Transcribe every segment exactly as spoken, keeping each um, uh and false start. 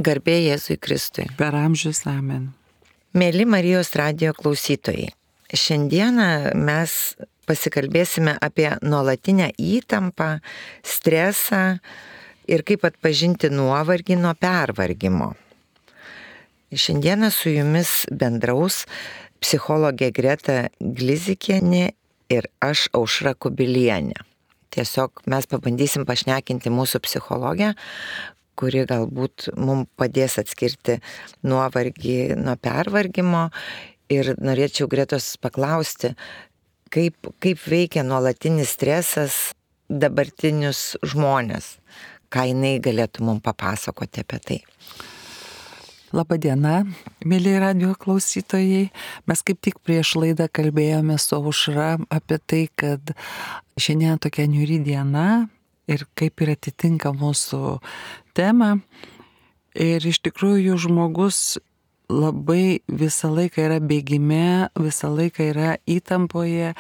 Garbė Jėzui Kristui. Per amžius amen. Mėly Marijos radijo klausytojai, šiandieną mes pasikalbėsime apie nuolatinę įtampą, stresą ir kaip atpažinti nuovargį nuo pervargimo. Šiandieną su jumis bendraus psichologė Greta Glizikienė ir aš Aušra Kubilienė. Tiesiog mes pabandysim pašnekinti mūsų psichologę, kuri galbūt mums padės atskirti nuovargį nuo pervargimo. Ir norėčiau Gretos paklausti, kaip, kaip veikia nuolatinis stresas dabartinius žmonės. Ką jinai galėtų mums papasakoti apie tai. Labadiena, mėly radijo klausytojai. Mes kaip tik prieš laidą kalbėjome su Aušra apie tai, kad šiandien tokia niūri diena ir kaip ir atitinka mūsų temą. Ir iš tikrųjų žmogus labai visą laiką yra bėgime, visą laiką yra įtampoje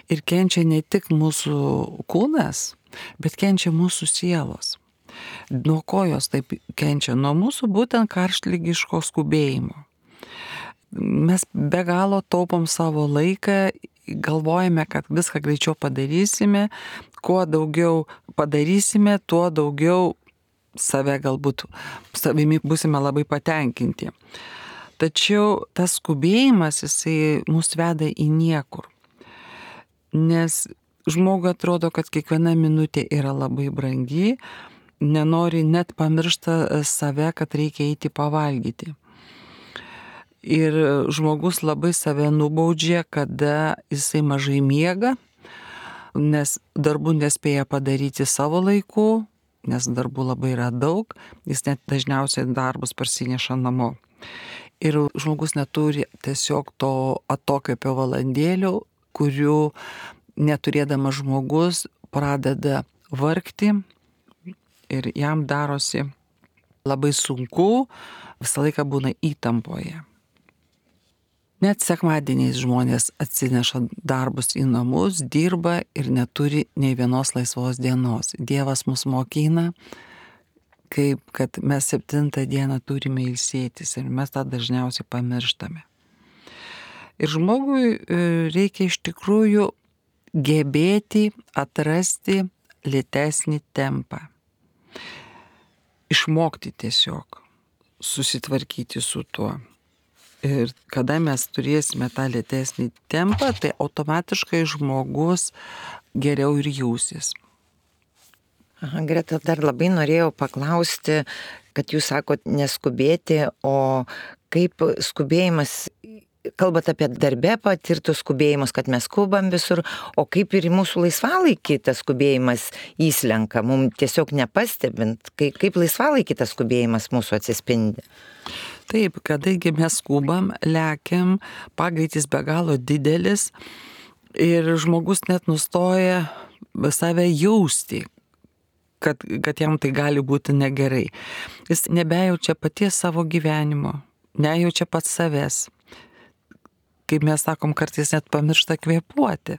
ir kenčia ne tik mūsų kūnas, bet kenčia mūsų sielos. Nuo ko jos taip kenčia? Nuo mūsų būtent karštligiško skubėjimo. Mes be galo taupom savo laiką, galvojame, kad viską greičiau padarysime, kuo daugiau padarysime, tuo daugiau save galbūt, savimi būsime labai patenkinti. Tačiau tas skubėjimas, jisai mus veda į niekur. Nes žmogui atrodo, kad kiekviena minutė yra labai brangi, nenori net pamiršta save, kad reikia eiti pavalgyti. Ir žmogus labai save nubaudžia, kada jisai mažai miega, nes darbų nespėja padaryti savo laiku, nes darbų labai yra daug, jis net dažniausiai darbus parsineša namo. Ir žmogus neturi tiesiog to atokvėpio valandėlių, kurių neturėdamas žmogus pradeda vargti ir jam darosi labai sunku, visą laiką būna įtampoje. Net sekmadieniais žmonės atsineša darbus į namus, dirba ir neturi nei vienos laisvos dienos. Dievas mus mokina, kaip kad mes septintą dieną turime ilsėtis ir mes tą dažniausiai pamirštame. Ir žmogui reikia iš tikrųjų gebėti atrasti lėtesnį tempą. Išmokti tiesiog susitvarkyti su tuo. Ir kada mes turėsime tą lėtesnį tempą, tai automatiškai žmogus geriau ir jausis. Aha, Greta, dar labai norėjau paklausti, kad jūs sakot neskubėti, o kaip skubėjimas, kalbat apie darbę patirtus skubėjimus, kad mes skubam visur, o kaip ir į mūsų laisvalaikį tas skubėjimas įslenka, mums tiesiog nepastebint, kaip, kaip laisvalaikį tas skubėjimas mūsų atsispindi. Taip, kadangi mes skubam, lekiam, pagreitis be galo didelis ir žmogus net nustoja save jausti, kad, kad jam tai gali būti negerai. Jis nebejaučia paties savo gyvenimo, nejaučia pats savęs. Kaip mes sakom, kartais net pamiršta kvėpuoti.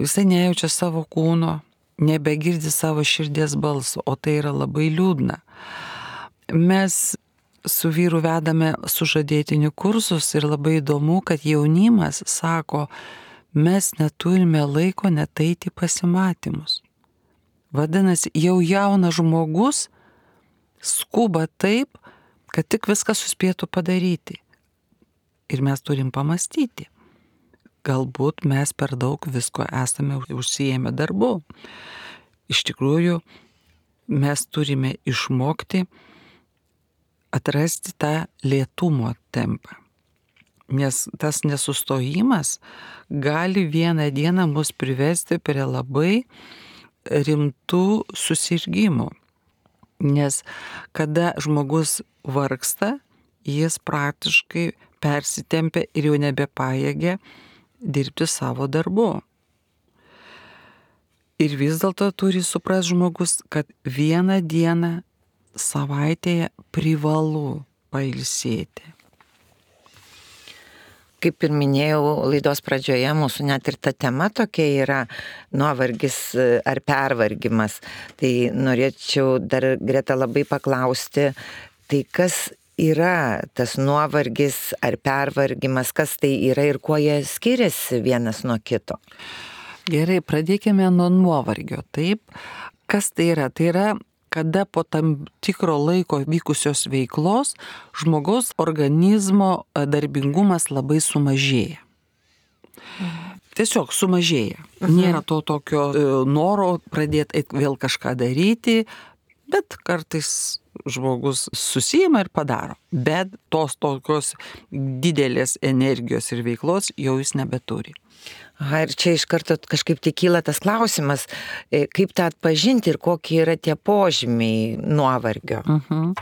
Jisai nejaučia savo kūno, nebegirdi savo širdies balso, o tai yra labai liūdna. Mes su vyru vedame sužadėtinių kursus ir labai įdomu, kad jaunimas sako, mes neturime laiko net eiti pasimatymus. Vadinasi, jau jaunas žmogus skuba taip, kad tik viską suspėtų padaryti. Ir mes turim pamastyti. Galbūt mes per daug visko esame užsiėmę darbu. Iš tikrųjų, mes turime išmokti atrasti tą lėtumo tempą. Nes tas nesustojimas gali vieną dieną mus privesti prie labai rimtų susirgymų. Nes kada žmogus vargsta, jis praktiškai persitempia ir jau nebepajėgia dirbti savo darbu. Ir vis dėlto turi suprasti žmogus, kad vieną dieną savaitėje privalu pailsėti. Kaip ir minėjau laidos pradžioje, mūsų net ir ta tema tokia yra nuovargis ar pervargimas. Tai norėčiau dar, Greta, labai paklausti, Tai kas yra tas nuovargis ar pervargimas, kas tai yra ir kuo jie skiriasi vienas nuo kito? Gerai, pradėkime nuo nuovargio. Taip, kas tai yra? Tai yra, kada po tam tikro laiko vykusios veiklos žmogaus organizmo darbingumas labai sumažėja. Tiesiog sumažėja. Mhm. Nėra to tokio noro pradėti vėl kažką daryti, bet kartais žmogus susijima ir padaro. Bet tos tokios didelės energijos ir veiklos jau jis nebeturi. Aha, ir čia iš karto kažkaip tik kyla tas klausimas, kaip tą atpažinti ir kokie yra tie požymiai nuovargio. Mhm.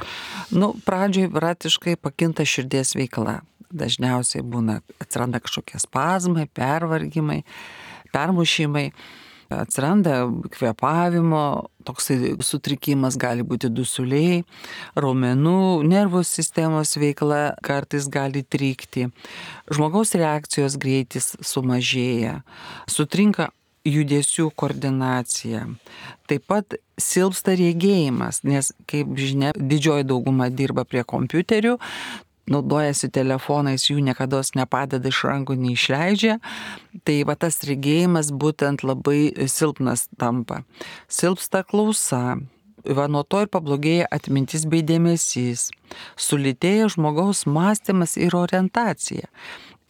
Nu, pradžioj praktiškai pakinta širdies veikla. Dažniausiai būna, atsiranda kažkokie spazmai, pervargimai, permušimai, atsiranda kvėpavimo, toksai sutrikimas, gali būti dusuliai, raumenų, nervų sistemos veikla kartais gali trykti, žmogaus reakcijos greitis sumažėja, sutrinka judesių koordinacija, taip pat silpsta regėjimas, nes, kaip žinia, didžioji dauguma dirba prie kompiuterių, naudojasi telefonais, jų niekada nepadeda iš rankų, neišleidžia. Tai va tas regėjimas būtent labai silpnas tampa. Silpsta klausa, va nuo to ir pablogėja atmintis bei dėmesys. Sulėtėja žmogaus mąstymas ir orientacija.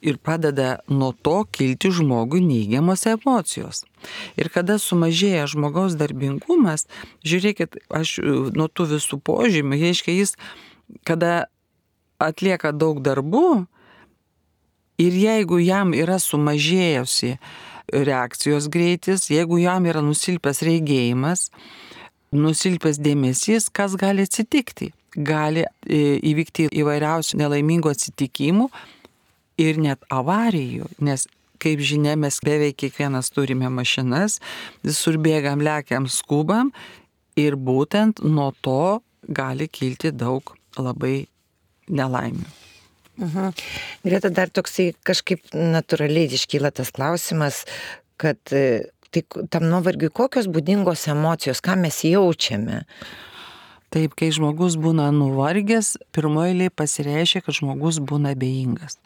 Ir padeda nuo to kilti žmogui neigiamos emocijos. Ir kada sumažėja žmogaus darbingumas, žiūrėkit, aš nuo tų visų požymių, reiškia jis, kada atlieka daug darbų ir jeigu jam yra sumažėjusi reakcijos greitis, jeigu jam yra nusilpęs regėjimas, nusilpęs dėmesys, kas gali atsitikti? Gali įvykti įvairiausių nelaimingų atsitikimų ir net avarijų, nes, kaip žinia, mes beveik kiekvienas turime mašinas, visur bėgam, lekiam, skubam ir būtent nuo to gali kilti daug labai nelaimių. Mhm. Greta, dar toksai kažkaip natūraliai iškyla tas klausimas, kad tai, tam nuovargiui kokios būdingos emocijos, ką mes jaučiame? Taip, kai žmogus būna nuvargęs, pirmoje eilėje pasireiškia, kad žmogus būna abejingas.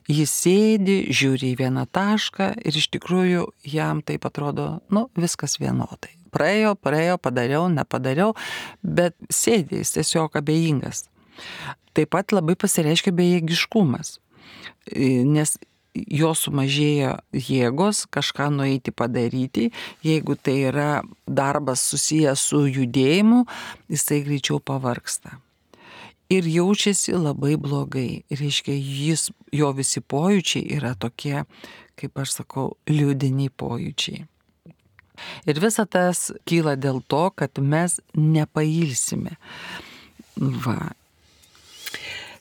Jis sėdi, žiūri į vieną tašką ir iš tikrųjų jam taip atrodo, nu, viskas vienodai. Praėjo, praėjo, padariau, nepadariau, bet sėdi, jis tiesiog abejingas. Taip pat labai pasireiškia bejėgiškumas, nes jo sumažėjo jėgos kažką nueiti padaryti, jeigu tai yra darbas susijęs su judėjimu, jisai greičiau pavargsta. Ir jaučiasi labai blogai, reiškia, jis, jo visi pojūčiai yra tokie, kaip aš sakau, liūdini pojūčiai. Ir visa tas kyla dėl to, kad mes nepailsime. Va.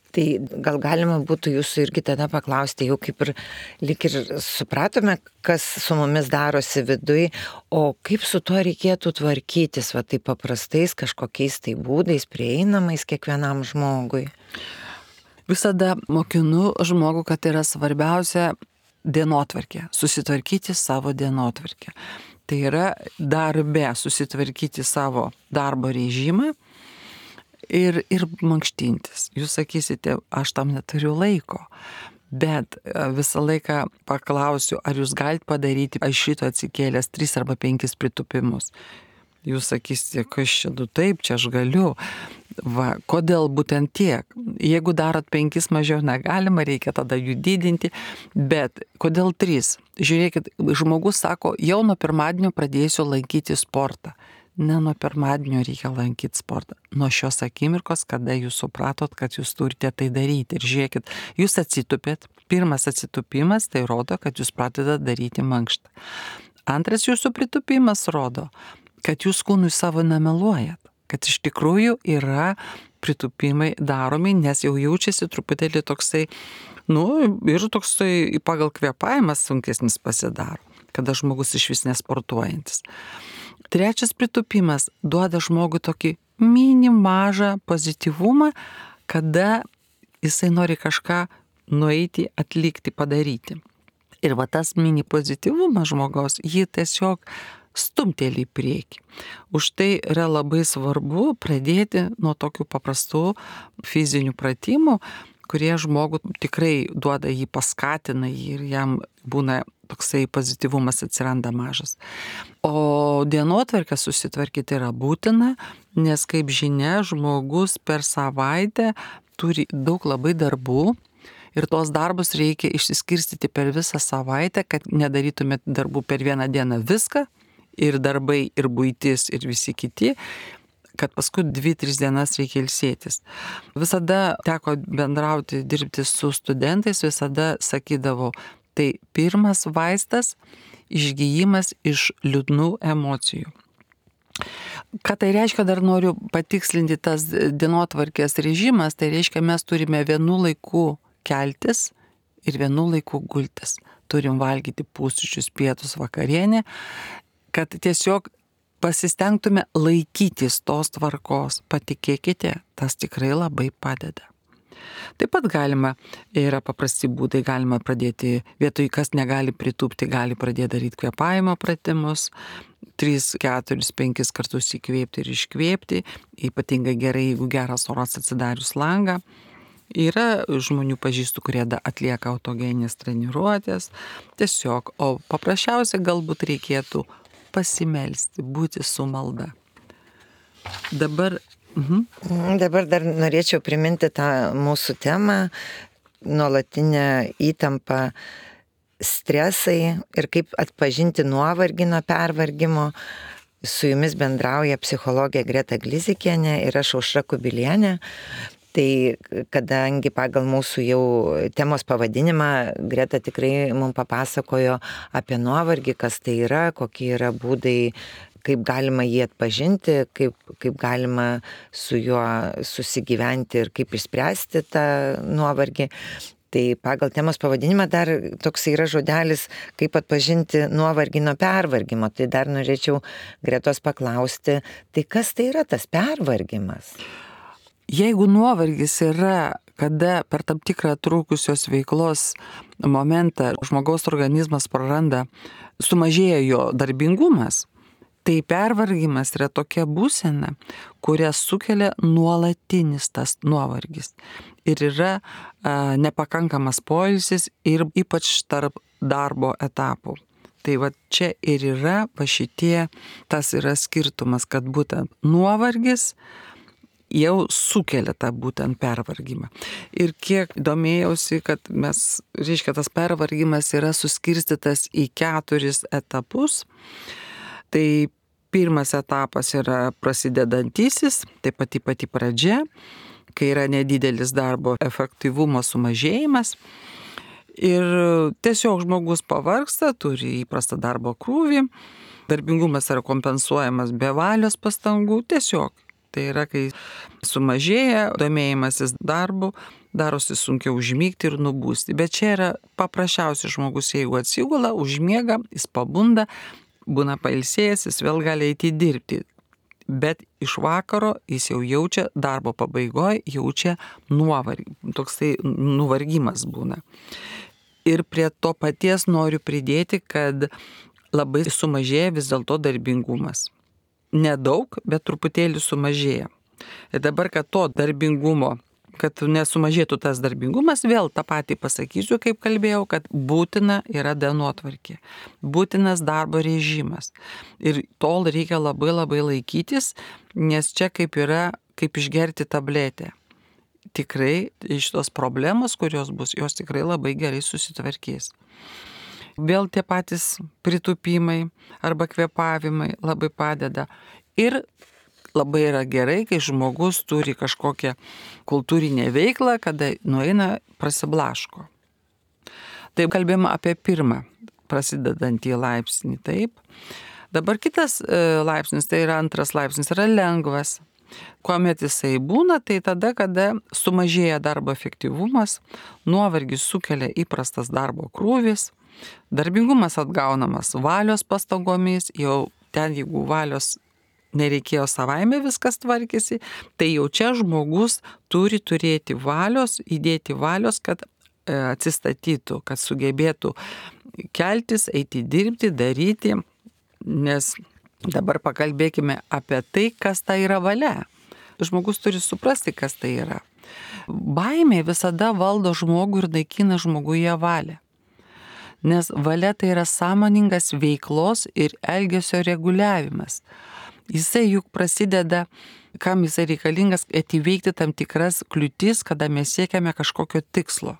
Tai gal galima būtų jūsų irgi tada paklausti, jau kaip ir lyg ir supratome, kas su mumis darosi viduj, o kaip su tuo reikėtų tvarkytis, va taip paprastais kažkokiais tai būdais, prieinamais kiekvienam žmogui. Visada mokinu žmogų, kad yra svarbiausia dienotvarkė, susitvarkyti savo dienotvarkę. Tai yra darbe susitvarkyti savo darbo režimą, Ir, ir mankštintis. Jūs sakysite, aš tam neturiu laiko, bet visą laiką paklausiu, ar jūs galite padaryti aš šito atsikėlęs tris arba penkis pritupimus. Jūs sakysite, kas čia, du taip, čia aš galiu. Va, kodėl būtent tiek? Jeigu darot penkis mažiau negalima, reikia tada jų didinti, bet kodėl trys? Žiūrėkit, žmogus sako, jau nuo pirmadienio pradėsiu lankyti sportą. Ne nuo pirmadienio reikia lankyti sportą. Nuo šios akimirkos, kada jūs supratot, kad jūs turite tai daryti. Ir žiūrėkit, jūs atsitupėt. Pirmas atsitupimas tai rodo, kad jūs pradedat daryti mankštą. Antras jūsų pritupimas rodo, kad jūs kūnui savo nemeluojat. Kad iš tikrųjų yra pritupimai daromi, nes jau jaučiasi truputėlį toksai, nu ir toksai pagal kvėpavimas sunkesnis pasidaro, kada žmogus iš vis nesportuojantis. Trečias pritupimas duoda žmogui tokį mini mažą pozityvumą, kada jisai nori kažką nueiti, atlikti, padaryti. Ir va tas mini pozityvumas žmogaus jį tiesiog stumteli į priekį. Už tai yra labai svarbu pradėti nuo tokių paprastų fizinių pratimų, kurie žmogų tikrai duoda jį, paskatina jį ir jam būna toksai pozityvumas atsiranda mažas. O dienotvarkę susitvarkyti yra būtina, nes kaip žinia, žmogus per savaitę turi daug labai darbų ir tos darbus reikia išsiskirstyti per visą savaitę, kad nedarytumėt darbų per vieną dieną viską, ir darbai, ir buitis, ir visi kiti, kad paskui dvi, tris dienas reikia ilsėtis. Visada teko bendrauti, dirbti su studentais, visada sakydavau, tai pirmas vaistas išgijimas iš liūdnų emocijų. Ką tai reiškia, dar noriu patikslinti, tas dienotvarkės režimas, tai reiškia, mes turime vienu laiku keltis ir vienu laiku gultis. Turim valgyti pusryčius, pietus, vakarienę, kad tiesiog pasistengtume laikytis tos tvarkos. Patikėkite, tas tikrai labai padeda. Taip pat galima, yra paprasti būdai, galima pradėti, vietoj kas negali pritūpti, gali pradėti daryti kvėpavimo pratimus, tris, keturis, penkis kartus įkvėpti ir iškvėpti, ypatingai gerai, jeigu geras oras atsidarius langą. Yra žmonių pažįstų, kurie atlieka autogeninės treniruotės, tiesiog, o paprasčiausia galbūt reikėtų pasimelsti, būti su malda. Dabar Mhm. Dabar dar norėčiau priminti tą mūsų temą, nuolatinę įtampą, stresai ir kaip atpažinti nuovargį nuo pervargimo. Su jumis bendrauja psichologė Greta Glizikienė ir aš Aušra Kubilienė. Tai kadangi pagal mūsų jau temos pavadinimą Greta tikrai mums papasakojo apie nuovargį, kas tai yra, kokie yra būdai, kaip galima jį atpažinti, kaip, kaip galima su juo susigyventi ir kaip išspręsti tą nuovargį. Tai pagal temos pavadinimą dar toks yra žodelis, kaip atpažinti nuovargį nuo pervargimo. Tai dar norėčiau Gretos paklausti, tai kas tai yra tas pervargimas? Jeigu nuovargis yra, kada per tam tikrą trūkusios veiklos momentą žmogaus organizmas praranda, sumažėja jo darbingumas, tai pervargimas yra tokia būsena, kurią sukelia nuolatinis tas nuovargis. Ir yra a, nepakankamas poilsis ir ypač tarp darbo etapų. Tai va čia ir yra va šitie, tas yra skirtumas, kad būtent nuovargis jau sukelia tą būtent pervargimą. Ir kiek domėjausi, kad mes, reiškia, tas pervargimas yra suskirstytas į keturis etapus. Tai pirmas etapas yra prasidedantysis, tai pati pati pradžia, kai yra nedidelis darbo efektyvumo sumažėjimas. Ir tiesiog žmogus pavargsta, turi įprastą darbo krūvį, darbingumas yra kompensuojamas be valios pastangų, tiesiog. Tai yra, kai sumažėja domėjimasis darbu, darosi sunkiau užmygti ir nubūsti. Bet čia yra paprasčiausias žmogus, jeigu atsigula, užmiega, jis pabunda, būna pailsėjęs, jis vėl gali eiti dirbti. Bet iš vakaro jis jau jaučia, darbo pabaigoje jaučia nuovargį, toksai nuvargimas būna. Ir prie to paties noriu pridėti, kad labai sumažėja vis dėlto darbingumas. Nedaug, bet truputėlį sumažėja. Ir dabar, kad to darbingumo, kad nesumažėtų tas darbingumas, vėl tą patį pasakysiu, kaip kalbėjau, kad būtina yra dienotvarkė, būtinas darbo režimas. Ir tol reikia labai labai laikytis, nes čia kaip yra, kaip išgerti tabletę. Tikrai iš tos problemos, kurios bus, jos tikrai labai gerai susitvarkės. Vėl tie patys pritūpimai arba kvėpavimai labai padeda. Ir labai yra gerai, kai žmogus turi kažkokią kultūrinę veiklą, kada nueina prasiblaško. Taip kalbėjome apie pirmą prasidedantį laipsnį, taip. Dabar kitas laipsnis, tai yra antras laipsnis, yra lengvas. Kuomet jisai būna, tai tada, kada sumažėja darbo efektyvumas, nuovargis sukelia įprastas darbo krūvis, darbingumas atgaunamas valios pastangomis, jau ten, jeigu valios nereikėjo savaime viskas tvarkėsi, tai jau čia žmogus turi turėti valios, įdėti valios, kad atsistatytų, kad sugebėtų keltis, eiti dirbti, daryti. Nes dabar pakalbėkime apie tai, kas tai yra valia. Žmogus turi suprasti, kas tai yra. Baimė visada valdo žmogų ir naikina žmoguje valią. Nes valia tai yra sąmoningas veiklos ir elgesio reguliavimas. Jisai juk prasideda, kam jisai reikalingas, kad įveikti tam tikras kliūtis, kada mes siekiame kažkokio tikslo.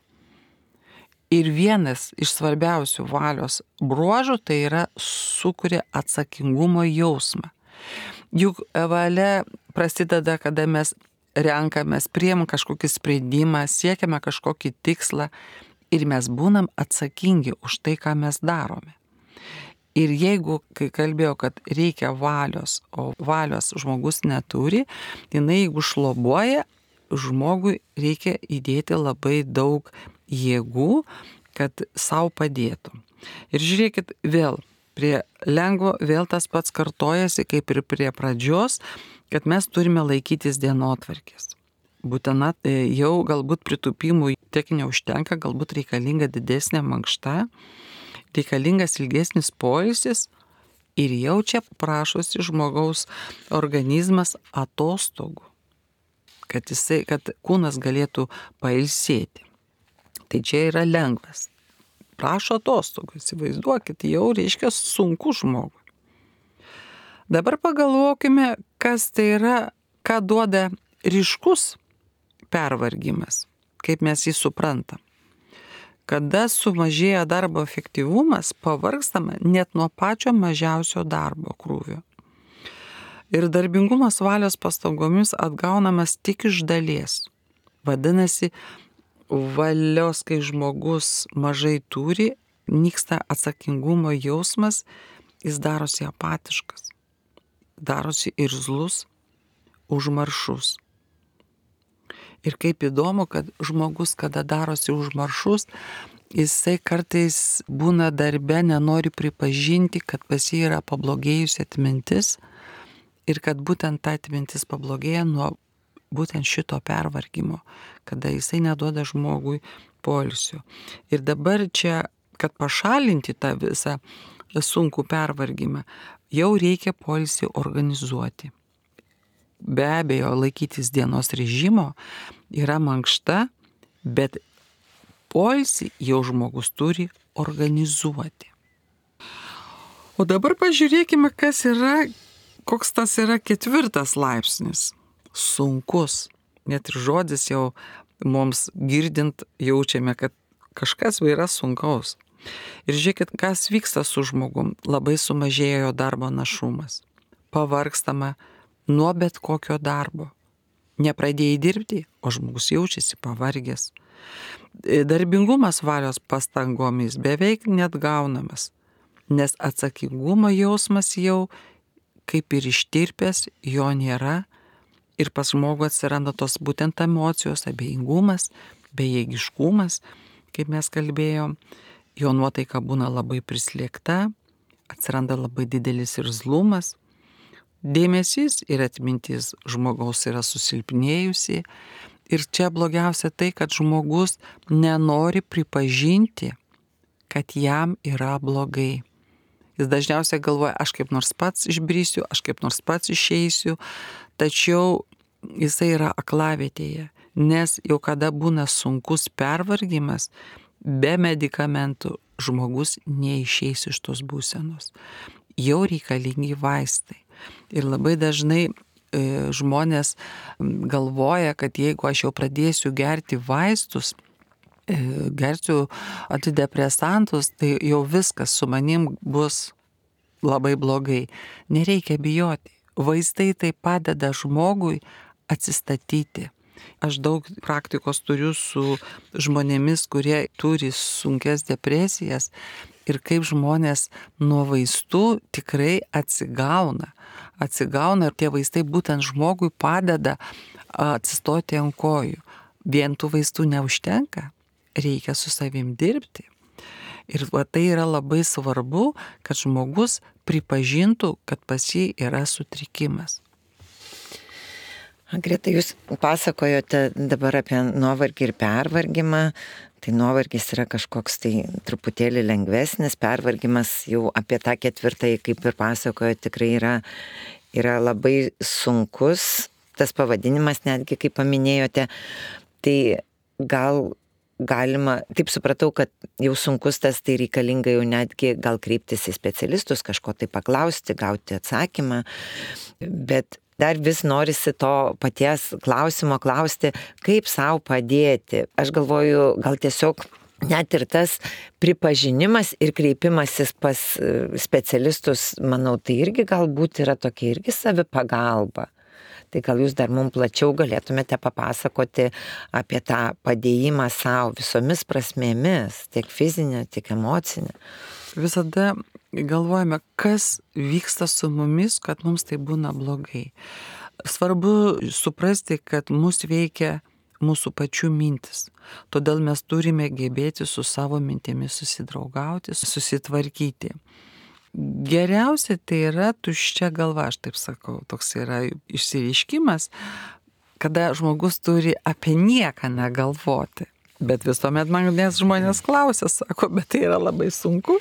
Ir vienas iš svarbiausių valios bruožų tai yra sukuria atsakingumo jausmą. Juk valia prasideda, kada mes renkamės, priimam kažkokį sprendimą, siekiame kažkokį tikslą ir mes būnam atsakingi už tai, ką mes darome. Ir jeigu, kai kalbėjau, kad reikia valios, o valios žmogus neturi, jinai jeigu šlobuoja, žmogui reikia įdėti labai daug jėgų, kad savo padėtų. Ir žiūrėkit vėl, prie lengvo vėl tas pats kartojasi, kaip ir prie pradžios, kad mes turime laikytis dienotvarkės. Būtina jau galbūt pritupimų tiek neužtenka, galbūt reikalinga didesnė mankšta, reikalingas ilgesnis poilsis ir jau čia prašosi žmogaus organizmas atostogų, kad, jisai, kad kūnas galėtų pailsėti. Tai čia yra lengvas. Prašo atostogų, įsivaizduokit, jau reiškia sunku žmogui. Dabar pagalvokime, kas tai yra, ką duoda ryškus pervargimas, kaip mes jį suprantam. Kada sumažėja darbo efektyvumas, pavargstama net nuo pačio mažiausio darbo krūvio. Ir darbingumas valios pastangomis atgaunamas tik iš dalies. Vadinasi, valios, kai žmogus mažai turi, nyksta atsakingumo jausmas, jis darosi apatiškas, darosi irzlus, užmaršus. Ir kaip įdomu, kad žmogus, kada darosi užmaršus, jisai kartais būna darbe, nenori pripažinti, kad pas jį yra pablogėjusi atmintis ir kad būtent ta atmintis pablogėja nuo būtent šito pervargimo, kada jisai neduoda žmogui poilsio. Ir dabar čia, kad pašalinti tą visą sunkų pervargimą, jau reikia poilsį organizuoti. Be abejo, laikytis dienos režimo yra mankšta, bet poilsį jau žmogus turi organizuoti. O dabar pažiūrėkime, kas yra, koks tas yra ketvirtas laipsnis. Sunkus. Net ir žodis jau mums girdint jaučiame, kad kažkas yra sunkaus. Ir žiūrėkit, kas vyksta su žmogum. Labai sumažėjo darbo našumas. Pavargstama nuo bet kokio darbo. Nepradėjai dirbti, o žmogus jaučiasi pavargęs. Darbingumas valios pastangomis beveik net gaunamas, nes atsakingumo jausmas jau kaip ir ištirpęs, jo nėra ir pas žmogų atsiranda tos būtent emocijos, abejingumas, bejėgiškumas, kaip mes kalbėjom, jo nuotaika būna labai prislėgta, atsiranda labai didelis irzlumas. Dėmesys ir atmintis žmogaus yra susilpnėjusi ir čia blogiausia tai, kad žmogus nenori pripažinti, kad jam yra blogai. Jis dažniausiai galvoja, aš kaip nors pats išbrisiu, aš kaip nors pats išeisiu, tačiau jisai yra aklavietėje, nes jau kada būna sunkus pervargimas, be medikamentų žmogus neišeis iš tos būsenos. Jau reikalingi vaistai. Ir labai dažnai e, žmonės galvoja, kad jeigu aš jau pradėsiu gerti vaistus, e, gersiu antidepresantus, tai jau viskas su manim bus labai blogai. Nereikia bijoti. Vaistai tai padeda žmogui atsistatyti. Aš daug praktikos turiu su žmonėmis, kurie turi sunkes depresijas ir kaip žmonės nuo vaistų tikrai atsigauna. Atsigauna ir tie vaistai būtent žmogui padeda atsistoti ant kojų. Vien tų vaistų neužtenka, reikia su savim dirbti. Ir va, tai yra labai svarbu, kad žmogus pripažintų, kad pas jį yra sutrikimas. Greta, jūs pasakojote dabar apie nuovargį ir pervargimą, Tai nuovargis yra kažkoks tai truputėlį lengvesnis, pervargimas jau apie tą ketvirtąjį, kaip ir pasakojo, tikrai yra, yra labai sunkus, tas pavadinimas netgi, kaip paminėjote, tai gal galima, taip supratau, kad jau sunkus tas, tai reikalinga jau netgi gal kreiptis į specialistus, kažko tai paklausti, gauti atsakymą, bet dar vis norisi to paties klausimo klausti, kaip savo padėti. Aš galvoju, gal tiesiog net ir tas pripažinimas ir kreipimasis pas specialistus, manau, tai irgi galbūt yra tokia irgi savipagalba. Tai gal jūs dar mums plačiau galėtumėte papasakoti apie tą padėjimą savo visomis prasmėmis, tiek fizinė, tiek emocinė. Visada galvojame, kas vyksta su mumis, kad mums tai būna blogai. Svarbu suprasti, kad mus veikia mūsų pačių mintis. Todėl mes turime gebėti su savo mintimis susidraugauti, susitvarkyti. Geriausia tai yra tuščia galva, aš taip sakau, toks yra išsireiškimas, kada žmogus turi apie nieką negalvoti. Bet visuomet manęs žmonės klausia, sako, bet tai yra labai sunku.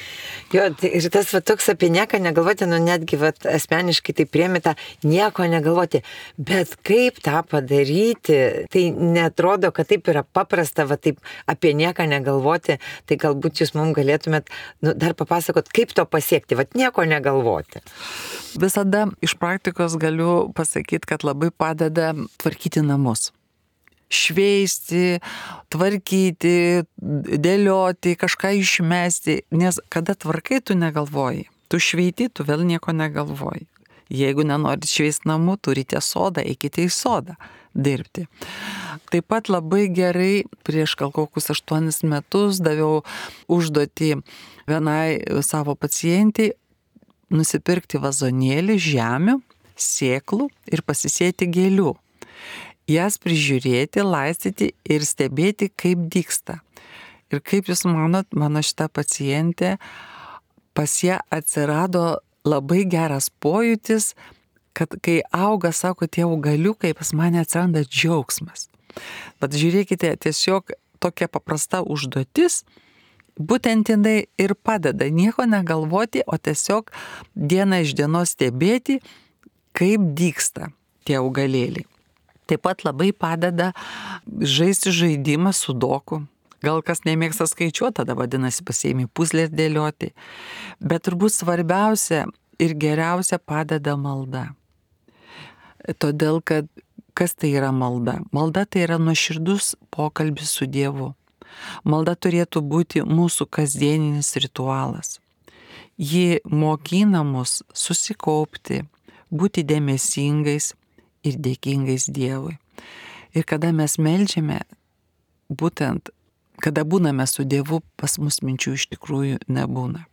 Jo, tai ir tas va, toks apie nieką negalvoti, nu netgi va, asmeniškai tai priemi tą nieko negalvoti. Bet kaip tą padaryti, tai netrodo, kad taip yra paprasta, va taip apie nieką negalvoti, tai galbūt jūs mums galėtumėt nu, dar papasakot, kaip to pasiekti, va nieko negalvoti. Visada iš praktikos galiu pasakyti, kad labai padeda tvarkyti namus. Šveisti, tvarkyti, dėlioti, kažką išmesti, nes kada tvarkai, tu negalvoji. Tu šveiti, tu vėl nieko negalvoji. Jeigu nenorit šveisti namų, turite sodą, eikite į sodą dirbti. Taip pat labai gerai prieš gal kokius aštuonis metus daviau užduotį vienai savo pacientai nusipirkti vazonėlį žemių, sėklų ir pasisėti gėlių. Jas prižiūrėti, laistyti ir stebėti, kaip dygsta. Ir kaip jūs manot, mano šita pacientė, pas ją atsirado labai geras pojūtis, kad kai auga, sako, tie augaliukai, pas mane atsiranda džiaugsmas. Bet žiūrėkite, tiesiog tokia paprasta užduotis, būtent jinai ir padeda nieko negalvoti, o tiesiog dieną iš dienos stebėti, kaip dygsta tie augalėliai. Taip pat labai padeda žaisti žaidimą su doku. Gal kas nemėgsta skaičiuoti, tada vadinasi pasiėmė puzlės dėlioti. Bet turbūt svarbiausia ir geriausia padeda malda. Todėl, kad kas tai yra malda? Malda tai yra nuoširdus pokalbis su Dievu. Malda turėtų būti mūsų kasdieninis ritualas. Ji mokina mus susikaupti, būti dėmesingais ir dėkingais Dievui. Ir kada mes meldžiame, būtent, kada būname su Dievu, pas mus minčių iš tikrųjų nebūna.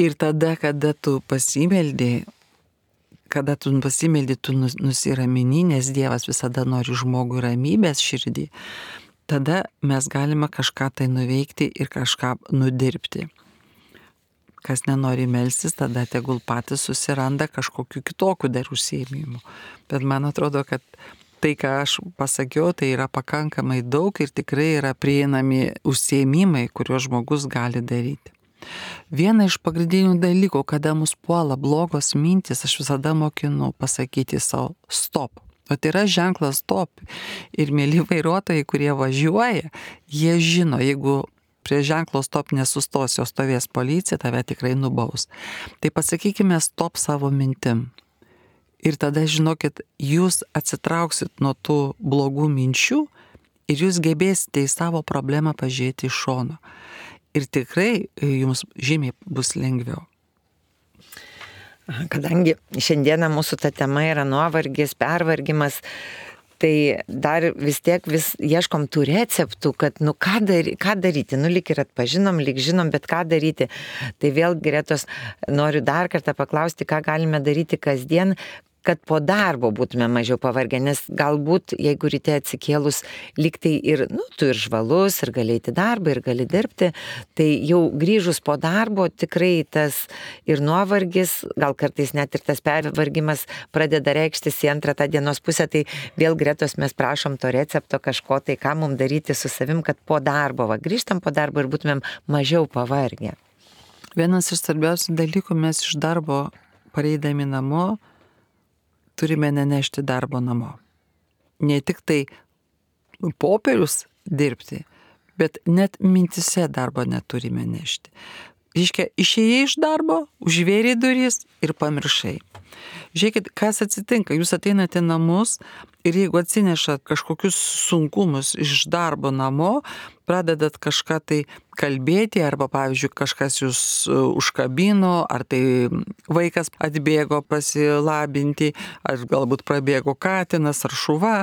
Ir tada, kada tu pasimeldė, kada tu pasimeldė, tu nusiramini, nes Dievas visada nori žmogui ramybės širdį, tada mes galime kažką tai nuveikti ir kažką nudirbti. Kas nenori melstis, tada tegul patys susiranda kažkokiu kitokiu dar užsiėmimu. Bet man atrodo, kad tai, ką aš pasakiau, tai yra pakankamai daug ir tikrai yra prieinami užsiėmimai, kuriuos žmogus gali daryti. Viena iš pagrindinių dalykų, kada mus puola blogos mintis, aš visada mokinu pasakyti savo stop. O tai yra ženklas stop. Ir mėly vairuotojai, kurie važiuoja, jie žino, jeigu prie ženklo stop nesustos, jo stovės policija, tave tikrai nubaus. Tai pasakykime stop savo mintim. Ir tada žinokit, jūs atsitrauksit nuo tų blogų minčių ir jūs gebėsite į savo problemą pažiūrėti iš šono. Ir tikrai jums žymiai bus lengviau. Kadangi šiandieną mūsų ta tema yra nuovargis, pervargimas, tai dar vis tiek vis ieškom tų receptų, kad nu ką, dary, ką daryti, nu lyg ir atpažinom, lyg žinom, bet ką daryti. Tai vėl Gretos noriu dar kartą paklausti, ką galime daryti kasdien, kad po darbo būtume mažiau pavargę, nes galbūt, jeigu ryte atsikėlus, lyg tai ir, nu, tu ir žvalus, ir gali eiti darbą, ir gali dirbti, tai jau grįžus po darbo tikrai tas ir nuovargis, gal kartais net ir tas pervargimas pradeda reikštis į antrą tą dienos pusę, tai vėl Gretos mes prašom to recepto kažko, tai ką mums daryti su savim, kad po darbo, va, grįžtam po darbo ir būtumėm mažiau pavargę. Vienas iš svarbiausių dalykų, mes iš darbo pareidami namo, turime nenešti darbo namo. Ne tik tai popierius dirbti, bet net mintise darbo neturime nešti. Reiškia, išėjai iš darbo, užvėrė duris ir pamiršai. Žiūrėkit, kas atsitinka, jūs ateinate namus ir jeigu atsinešat kažkokius sunkumus iš darbo namo, pradedat kažką tai kalbėti, arba, pavyzdžiui, kažkas jūs užkabino, ar tai vaikas atbėgo pasilabinti, ar galbūt prabėgo katinas ar šuva,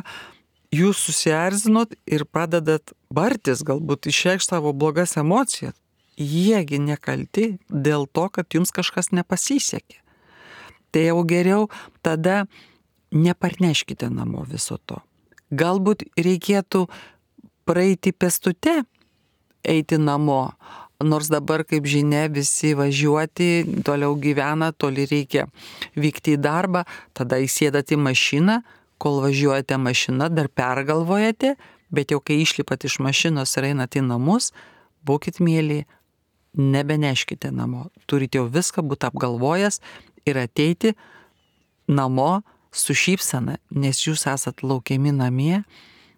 jūs susierzinot ir pradedat bartis, galbūt išreikšti savo blogas emocijas. Jiegi nekalti dėl to, kad jums kažkas nepasisekė. Tai jau geriau tada neparneškite namo viso to. Galbūt reikėtų praeiti pėstute, eiti namo, nors dabar, kaip žinia, visi važiuoti, toliau gyvena, toli reikia vykti į darbą, tada įsėdate į mašiną, kol važiuojate mašiną, dar pergalvojate, bet jau kai išlipat iš mašinos ir einate į namus, būkit mėly, nebeneškite namo. Turite jau viską būti apgalvojęs ir ateiti namo su šypsena, nes jūs esat laukiami namie,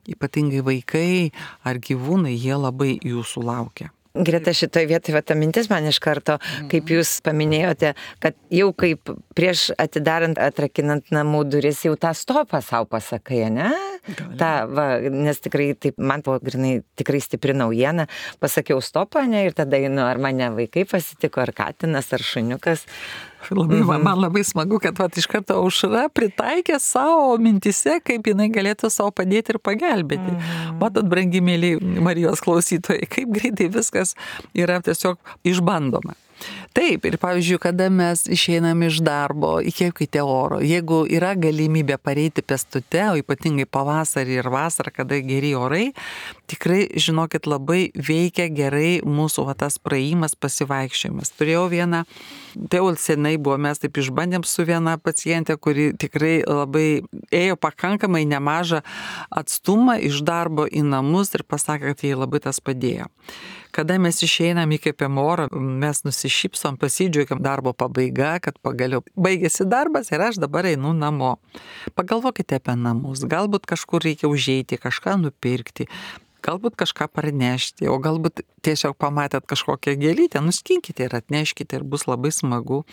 ypatingai vaikai ar gyvūnai, jie labai jūsų laukia. Greta, šitoje vietoje ta mintis man iš karto, kaip jūs paminėjote, kad jau kaip prieš atidarant, atrakinant namų duris, jau tą stopą savo pasakai, ne? Ta, va, nes tikrai taip, man buvo grinai tikrai stipri naujiena, pasakiau stopą, ne, ir tada einu, ar mane vaikai pasitiko, ar katinas, ar šuniukas. Labai, man, man labai smagu, kad vat, iš karto Aušra pritaikė savo mintise, kaip jinai galėtų savo padėti ir pagelbėti. Mm. Matot, brangi mėly Marijos klausytojai, kaip greitai viskas yra tiesiog išbandoma. Taip, ir pavyzdžiui, kada mes išeinam iš darbo, įkvėpkite oro. Jeigu yra galimybė pareiti pėstute, o ypatingai pavasarį ir vasarą, kada geri orai, tikrai, žinokit, labai veikia gerai mūsų va, tas praėjimas, pasivaikščiojimas. Turėjau vieną, tai jau senai buvo, mes taip išbandėm su viena pacientė, kuri tikrai labai ėjo pakankamai nemažą atstumą iš darbo į namus ir pasakė, kad jai labai tas padėjo. Kada mes išeinam, įkvėpiam orą, mes nusišypsom, pasidžiaugiam darbo pabaiga, kad pagaliau baigėsi darbas ir aš dabar einu namo. Pagalvokite apie namus, galbūt kažkur reikia užeiti, kažką nupirkti, galbūt kažką parnešti, o galbūt tiesiog pamatėt kažkokią gėlytę, nuskinkite ir atneškite ir bus labai smagu.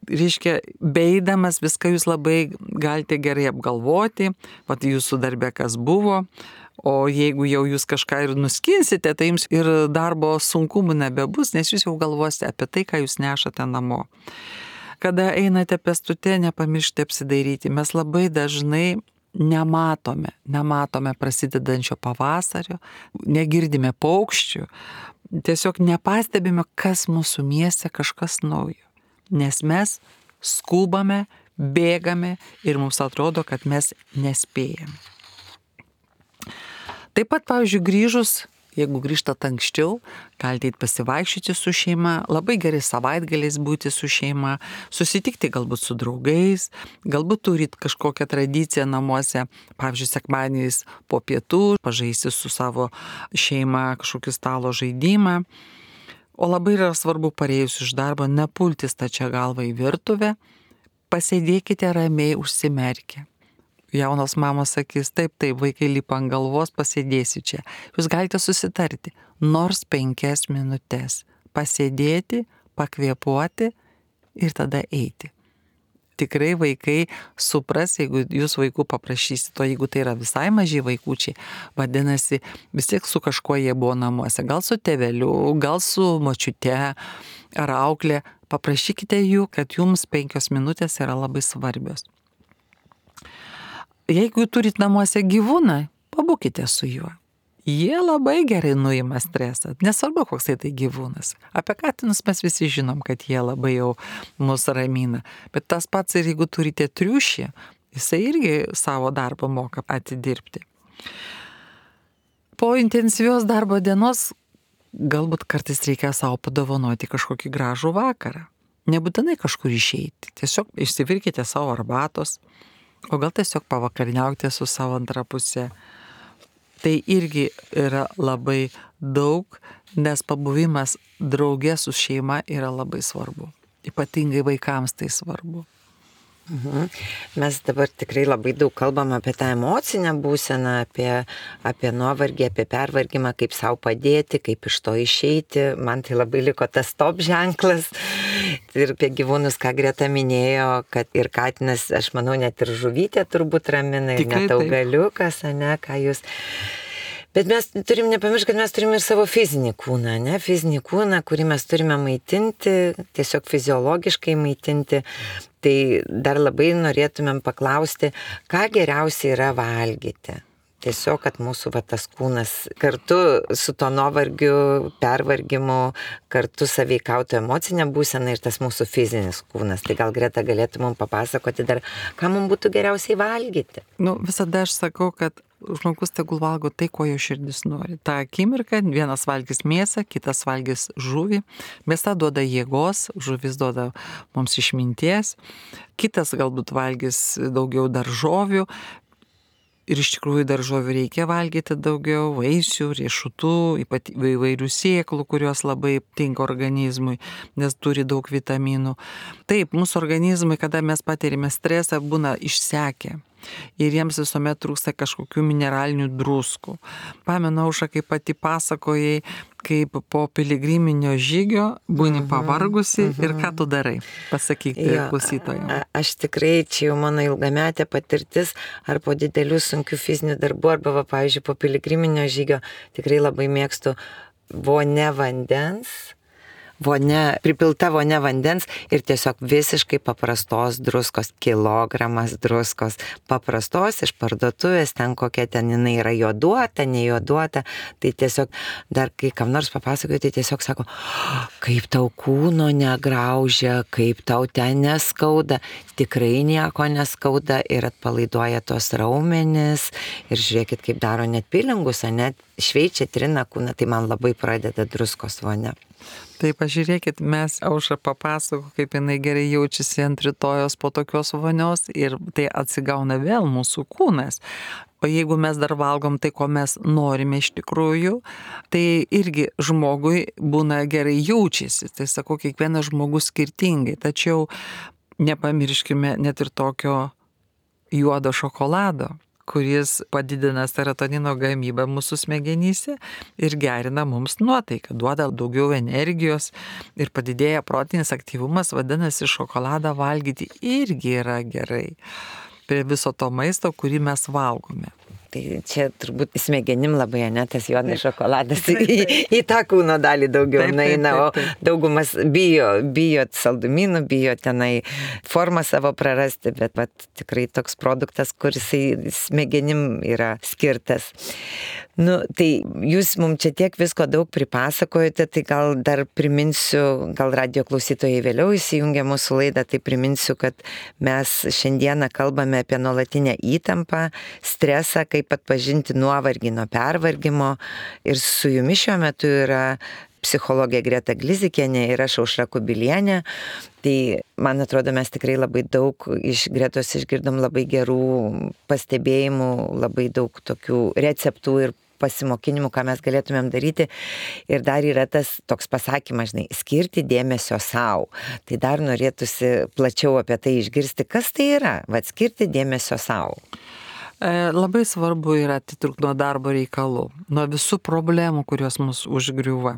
Reiškia, beeidamas viską jūs labai galite gerai apgalvoti, vat jūsų darbe kas buvo. O jeigu jau jūs kažką ir nuskinsite, tai jums ir darbo sunkumų nebebus, nes jūs jau galvosite apie tai, ką jūs nešate namo. Kada einate pėstute, nepamirškite apsidairyti. Mes labai dažnai nematome, nematome prasidedančio pavasario, negirdime paukščių, tiesiog nepastebime, kas mūsų mieste kažkas naujo. Nes mes skubame, bėgame ir mums atrodo, kad mes nespėjame. Taip pat, pavyzdžiui, grįžus, jeigu grįžtat anksčiau, galite eiti pasivaikščioti su šeima, labai gerai savaitgaliais būti su šeima, susitikti galbūt su draugais, galbūt turit kažkokią tradiciją namuose, pavyzdžiui, sekmadieniais po pietų, pažaisti su savo šeima kažkokį stalo žaidimą. O labai yra svarbu parėjus iš darbo nepulti stačia galva į virtuvę, pasėdėkite ramiai užsimerkę. Jaunos mamos sakys, taip, taip, vaikai lipa ant galvos, pasėdėsiu čia. Jūs galite susitarti, nors penkias minutės, pasėdėti, pakvėpuoti ir tada eiti. Tikrai vaikai supras, jeigu jūs vaikų paprašysite, o jeigu tai yra visai maži vaikučiai, vadinasi, vis tiek su kažkuo jie buvo namuose, gal su tėveliu, gal su močiute ar auklė, paprašykite jų, kad jums penkios minutės yra labai svarbios. Jeigu turit namuose gyvūną, pabūkite su juo. Jie labai gerai nuima stresą, nesvarbu koks tai gyvūnas. Apie katinus mes visi žinom, kad jie labai jau mus ramina. Bet tas pats ir jeigu turite triušį, jisai irgi savo darbą moka atidirbti. Po intensyvios darbo dienos galbūt kartais reikia savo padovanoti kažkokį gražų vakarą. Nebūtinai kažkur išeiti, tiesiog išsivirkite savo arbatos, o gal tiesiog pavakariniaukite su savo antra pusė. Tai irgi yra labai daug, nes pabuvimas drauge su šeima yra labai svarbu. Ypatingai vaikams tai svarbu. Mhm. Mes dabar tikrai labai daug kalbam apie tą emocinę būseną, apie, apie nuovargį, apie pervargimą, kaip savo padėti, kaip iš to išeiti. Man tai labai liko tas stop ženklas. Ir apie gyvūnus, ką Greta minėjo, kad ir katinas, aš manau, net ir žuvytė turbūt ramina, ir net augaliukas, ne, ką jūs... Bet mes turim nepamiršti, kad mes turime ir savo fizinį kūną, ne, fizinį kūną, kurį mes turime maitinti, tiesiog fiziologiškai maitinti. Tai dar labai norėtumėm paklausti, ką geriausia yra valgyti. Tiesiog, kad mūsų va, tas kūnas kartu su to nuovargiu, pervargimu, kartu sąveikautų emocinę būseną ir tas mūsų fizinis kūnas. Tai gal Greta galėtų mums papasakoti dar, ką mums būtų geriausiai valgyti. Nu, visada aš sakau, kad žmogus tegul valgo tai, ko jo širdis nori. Ta akimirka vienas valgys mėsą, kitas valgys žuvį. Mėsa duoda jėgos, žuvis duoda mums išminties. Kitas galbūt valgys daugiau daržovių. Ir iš tikrųjų daržovių reikia valgyti daugiau, vaisių, riešutų, ypatingai įvairių sėklų, kurios labai tinka organizmui, nes turi daug vitaminų. Taip, mūsų organizmai, kada mes patiriame stresą, būna išsekę. Ir jiems visuomet trūksta kažkokių mineralinių druskų. Pamenu, Aušra, kaip pati pasakojai, kaip po piligriminio žygio būni uh-huh, pavargusi uh-huh. ir ką tu darai? Pasakyk klausytojams. Aš tikrai, čia jau mano ilgametė patirtis, ar po didelių sunkių fizinių darbų, arba, va, pavyzdžiui, po piligriminio žygio tikrai labai mėgstu vonia vandens. Vonia, pripilta vonia vandens ir tiesiog visiškai paprastos druskos, kilogramas druskos, paprastos iš parduotuvės, ten kokia ten jinai yra juoduota, nejuoduota, tai tiesiog dar kai kam nors papasakoju, tai tiesiog sako, kaip tau kūno negraužia, kaip tau ten neskauda, tikrai nieko neskauda ir atpalaiduoja tos raumenis ir žiūrėkit, kaip daro net pilingus, net šveičia, trina kūną, tai man labai pradeda druskos vonia. Taip, pažiūrėkit, mes Aušra papasako, kaip jinai gerai jaučiasi ant rytojos po tokios vonios ir tai atsigauna vėl mūsų kūnas. O jeigu mes dar valgom tai, ko mes norime iš tikrųjų, tai irgi žmogui būna gerai jaučiasi. Tai sakau, kiekvienas žmogus skirtingai, tačiau nepamirškime net ir tokio juodo šokolado, kuris padidina serotonino gamybą mūsų smegenyse ir gerina mums nuotaiką, duoda daugiau energijos ir padidėja protinis aktyvumas, vadinasi, šokoladą valgyti irgi yra gerai prie viso to maisto, kurį mes valgome. Tai čia turbūt smegenim labai, ne, tas juodas šokoladas į, į tą kūno dalį daugiau naina, o daugumas bijo, bijo saldumynų, bijo tenai formą savo prarasti, bet vat, tikrai toks produktas, kuris smegenim yra skirtas. Nu, tai jūs mums čia tiek visko daug pripasakojate, tai gal dar priminsiu, gal radijo klausytojai vėliau įsijungia mūsų laidą, tai priminsiu, kad mes šiandieną kalbame apie nuolatinę įtampą, stresą, kaip atpažinti nuovargį nuo pervargimo. Ir su jumis šiuo metu yra psichologė Greta Glizikienė ir aš Aušra Kubilienė. Tai man atrodo, mes tikrai labai daug iš Gretos išgirdom labai gerų pastebėjimų, labai daug tokių receptų ir pasimokinimų, ką mes galėtumėm daryti. Ir dar yra tas toks pasakymas, žinai, skirti dėmesio savo. Tai dar norėtųsi plačiau apie tai išgirsti, kas tai yra, vat skirti dėmesio savo. Labai svarbu yra atitrūkti nuo darbo reikalų, nuo visų problemų, kurios mus užgriuva.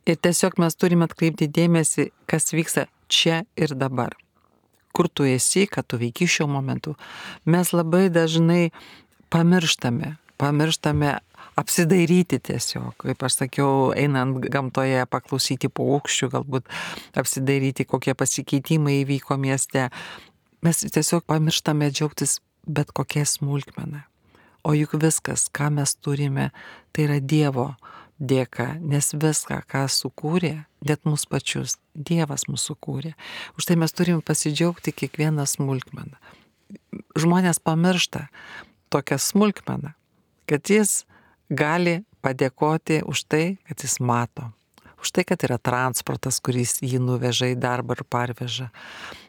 Ir tiesiog mes turime atkreipti dėmesį, kas vyksta čia ir dabar. Kur tu esi, ką tu veiki šiuo momentu. Mes labai dažnai pamirštame, pamirštame apsidairyti tiesiog, kaip aš sakiau, einant gamtoje, paklausyti paukščių, galbūt apsidairyti, kokie pasikeitimai įvyko mieste. Mes tiesiog pamirštame džiaugtis bet kokia smulkmena. O juk viskas, ką mes turime, tai yra Dievo dėka, nes viską, ką sukūrė, net mus pačius, Dievas mūsų sukūrė. Už tai mes turime pasidžiaugti kiekvieną smulkmeną. Žmonės pamiršta tokią smulkmeną, kad jis gali padėkoti už tai, kad jis mato. Už tai, kad yra transportas, kuris jį nuveža į darbą ir parveža.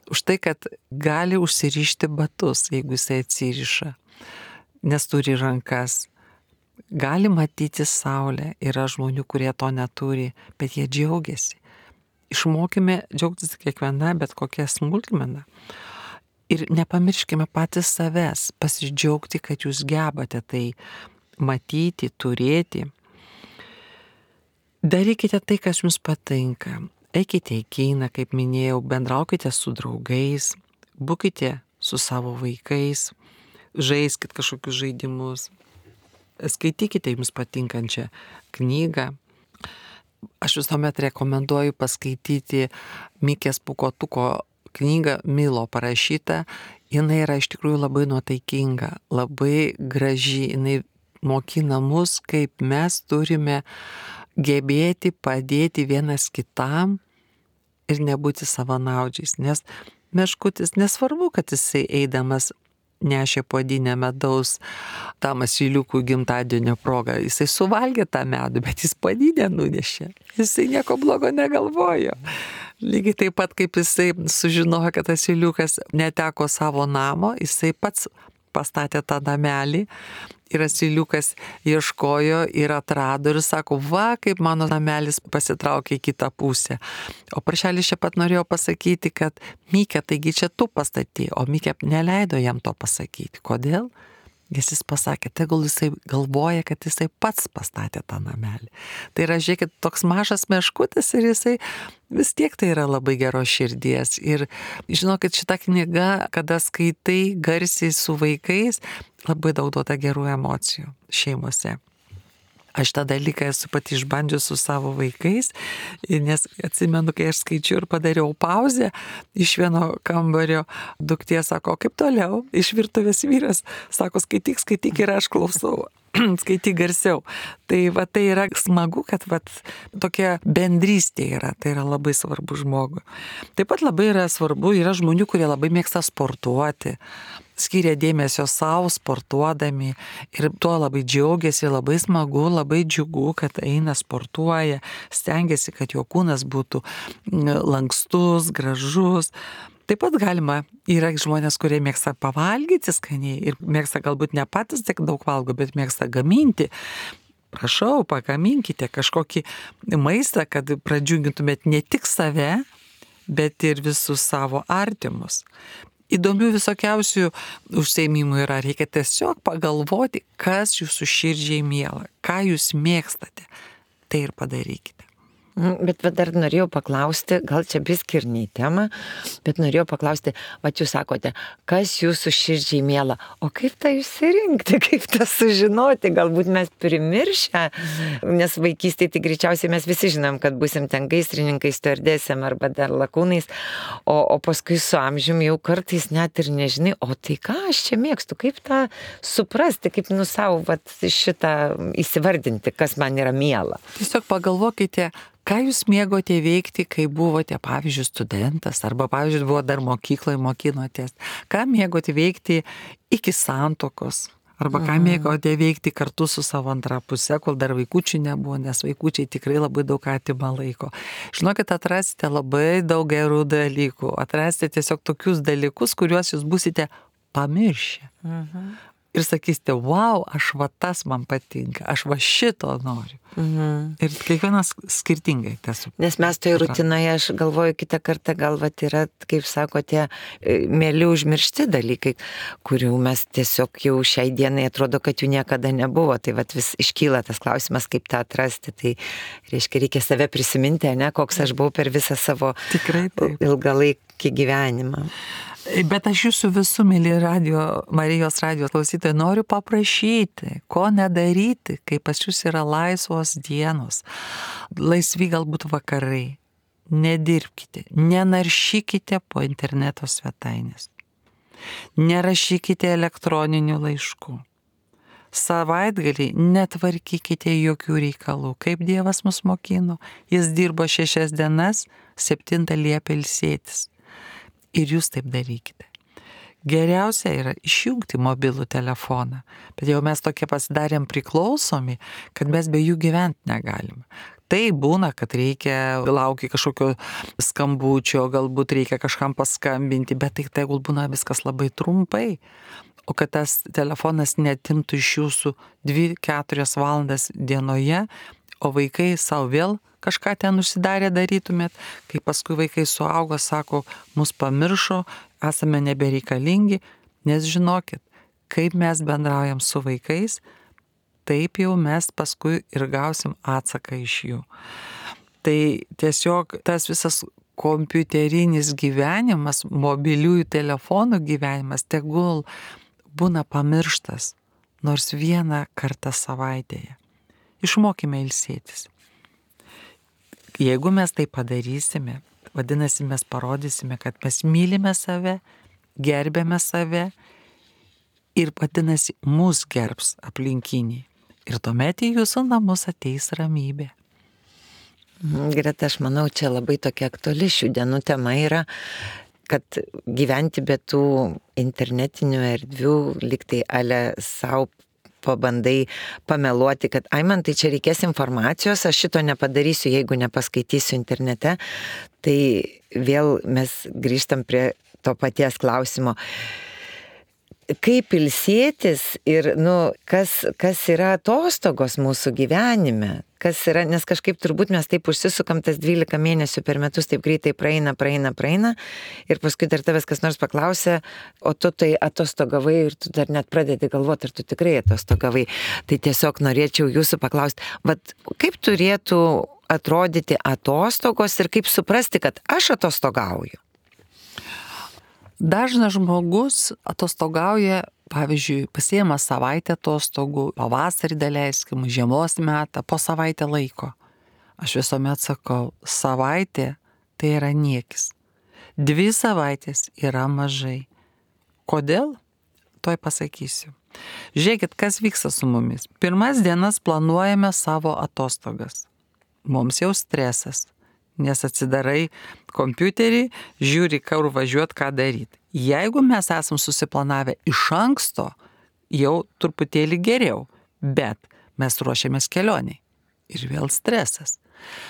Už tai, kad gali užsirišti batus, jeigu jisai atsiriša, nes turi rankas. Gali matyti saulę, yra žmonių, kurie to neturi, bet jie džiaugiasi. Išmokime džiaugtis kiekviena, bet kokia smulkmena. Ir nepamirškime patys savęs, pasidžiaugti, kad jūs gebate tai matyti, turėti. Darykite tai, kas jums patinka. Eikite į kiną, kaip minėjau, bendraukite su draugais, būkite su savo vaikais, žaiskite kažkokius žaidimus. Skaitykite jums patinkančią knygą. Aš visuomet rekomenduoju paskaityti Mikės Pūkuotuko knygą Milo parašytą. Jinai yra iš tikrųjų labai nuotaikinga, labai graži. Jinai mokina mus, kaip mes turime gebėti padėti vienas kitam ir nebūti savanaudžiais. Nes meškutis nesvarbu, kad jisai eidamas nešė puodinę medaus tam asyliukų gimtadienio progą. Jisai suvalgė tą medų, bet jis puodinę nunešė. Jisai nieko blogo negalvojo. Lygiai taip pat, kaip jisai sužinojo, kad asyliukas neteko savo namo, jisai pats pastatė tą namelį ir asyliukas ieškojo ir atrado ir sako, va, kaip mano namelis pasitraukė į kitą pusę. O paršelis čia pat norėjo pasakyti, kad Mikė, taigi čia tu pastatė, o Mikė neleido jam to pasakyti. Kodėl? Nes jis pasakė, tegul jisai galvoja, kad jisai pats pastatė tą namelį. Tai yra, žiūrėkit, toks mažas meškutis ir jisai vis tiek tai yra labai geros širdies. Ir žinokit, šitą knygą, kada skaitai garsiai su vaikais, labai daug duoda gerų emocijų šeimose. Aš tą dalyką esu pati išbandžius su savo vaikais, nes atsimenu, kai aš skaičiu ir padariau pauzę iš vieno kambario, duktė sako, kaip toliau, iš virtuvės vyras, sako, skaityk, skaityk ir aš klausau. Skaityk garsiau. Tai va tai yra smagu, kad va tokia bendrystė yra, tai yra labai svarbu žmogui. Taip pat labai yra svarbu, yra žmonių, kurie labai mėgsta sportuoti, skiria dėmesio savo sportuodami ir tuo labai džiaugiasi, labai smagu, labai džiugu, kad eina sportuoja, stengiasi, kad jo kūnas būtų lankstus, gražus. Taip pat galima, yra žmonės, kurie mėgsta pavalgyti skaniai ir mėgsta galbūt ne patys tiek daug valgo, bet mėgsta gaminti. Prašau, pagaminkite kažkokį maistą, kad pradžiugintumėt ne tik save, bet ir visus savo artimus. Įdomių visokiausių užsiėmimų yra, reikia tiesiog pagalvoti, kas jūsų širdžiai miela, ką jūs mėgstate, tai ir padarykite. Bet dar norėjau paklausti, gal čia biskį ir ne į temą, bet norėjau paklausti, va jūs sakote, kas jūsų širdžiai miela, o kaip tą išsirinkti, kaip tą sužinoti, galbūt mes primiršę, nes vaikystėje tai greičiausiai mes visi žinom, kad busim ten gaisrininkais, stiuardesėm arba dar lakūnais, o, o paskui su amžiumi jau kartais net ir nežinai, o tai ką aš čia mėgstu, kaip tą suprasti, kaip nu savo vat, šitą įsivardinti, kas man yra miela. Tiesiog pagalvokite, ką jūs mėgote veikti, kai buvote, pavyzdžiui, studentas, arba, pavyzdžiui, buvo dar mokykloje mokinotės, ką mėgote veikti iki santuokos, arba ką mėgote veikti kartu su savo antra puse, kol dar vaikučių nebuvo, nes vaikučiai tikrai labai daug atima laiko. Žinokit, atrasite labai daug gerų dalykų, atrasite tiesiog tokius dalykus, kuriuos jūs busite pamiršę. Mhm. Ir sakysite, wow, aš va tas man patinka, aš va šito noriu. Mhm. Ir kiekvienas skirtingai tas. Nes mes tai rutinoje, aš galvoju, kitą kartą gal va yra, kaip sakote, mėly užmiršti dalykai, kurių mes tiesiog jau šiai dienai atrodo, kad jų niekada nebuvo. Tai va vis iškyla tas klausimas, kaip tą atrasti. Tai reiškia, reikia save prisiminti, ne, koks aš buvau per visą savo Tikrai taip. ilgalaikį gyvenimą. Bet aš jūsų visų, mėly radio, Marijos radijos klausytojai, noriu paprašyti, ko nedaryti, kai pas jūs yra laisvos dienos, laisvi galbūt vakarai. Nedirbkite, nenaršykite po interneto svetainės, nerašykite elektroninių laiškų. Savaitgalį netvarkykite jokių reikalų. Kaip Dievas mus mokino, jis dirbo šešias dienas, septintą liepė ilsėtis. Ir jūs taip darykite. Geriausia yra išjungti mobilų telefoną, bet jau mes tokie pasidarėm priklausomi, kad mes be jų gyventi negalim. Tai būna, kad reikia laukti kažkokio skambučio, galbūt reikia kažkam paskambinti, bet tai tegul būna viskas labai trumpai. O kad tas telefonas netimtų iš jūsų dvi keturias valandas dienoje, o vaikai savo vėl kažką ten užsidarę darytumėt, kai paskui vaikai suaugo, sako, mus pamiršo, esame nebereikalingi, nes žinokit, kaip mes bendraujam su vaikais, taip jau mes paskui ir gausim atsaką iš jų. Tai tiesiog tas visas kompiuterinis gyvenimas, mobiliųjų telefonų gyvenimas, tegul būna pamirštas nors vieną kartą savaitėje. Išmokime ilsėtis. Jeigu mes tai padarysime, vadinasi, mes parodysime, kad mes mylime save, gerbėme save ir vadinasi, mus gerbs aplinkiniai. Ir tuomet į jūsų namus ateis ramybė. Greta, aš manau, čia labai tokia aktuali šių dienų tema yra, kad gyventi be tų internetinių erdvių, lyg tai ale savo pabandai pameluoti, kad ai man tai čia reikės informacijos, aš šito nepadarysiu, jeigu nepaskaitysiu internete, tai vėl mes grįžtam prie to paties klausimo. Kaip ilsėtis ir, nu, kas, kas yra atostogos mūsų gyvenime, kas yra, nes kažkaip turbūt mes taip užsisukam tas dvylika mėnesių per metus, taip greitai praeina, praeina, praeina ir paskui dar tavęs kas nors paklausė, o tu tai atostogavai ir tu dar net pradedi galvoti, ar tu tikrai atostogavai. Tai tiesiog norėčiau jūsų paklausti, vat kaip turėtų atrodyti atostogos ir kaip suprasti, kad aš atostogauju? Dažnas žmogus atostogauja, pavyzdžiui, pasiema savaitę atostogų, pavasarį daleiskim, žiemos metą, po savaitę laiko. Aš visuomet sakau, savaitė tai yra niekis. Dvi savaitės yra mažai. Kodėl? Tuoj pasakysiu. Žiūrėkit, kas vyksta su mumis. Pirmas dienas planuojame savo atostogas. Mums jau stresas. Nes atsidarai kompiuterį, žiūri, kur važiuot, ką daryti. Jeigu mes esam susiplanavę iš anksto, jau truputėlį geriau, bet mes ruošiamės kelioniai. Ir vėl stresas.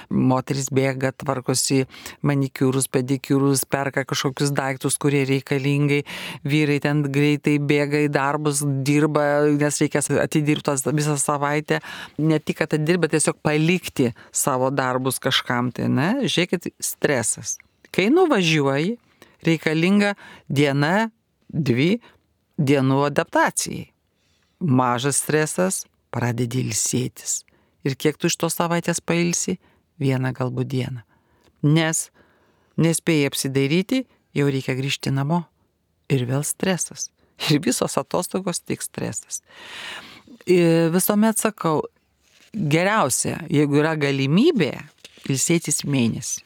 Moteris bėga, tvarkosi manikiūrus, pedikiūrus, perka kažkokius daiktus, kurie reikalingai, vyrai ten greitai bėga į darbus, dirba, nes reikės atidirbtas visą savaitę, ne tik atidirbti, tiesiog palikti savo darbus kažkam tai, ne, žiūrėkit, stresas. Kai nuvažiuoji, reikalinga diena, dvi dienų adaptacijai. Mažas stresas, pradedi ilsėtis. Ir kiek tu iš tos savaitės pailsi? Vieną galbūt dieną. Nes nespėjai apsidairyti, jau reikia grįžti namo. Ir vėl stresas. Ir visos atostogos tik stresas. Ir visuomet sakau, geriausia, jeigu yra galimybė, ilsėtis mėnesį.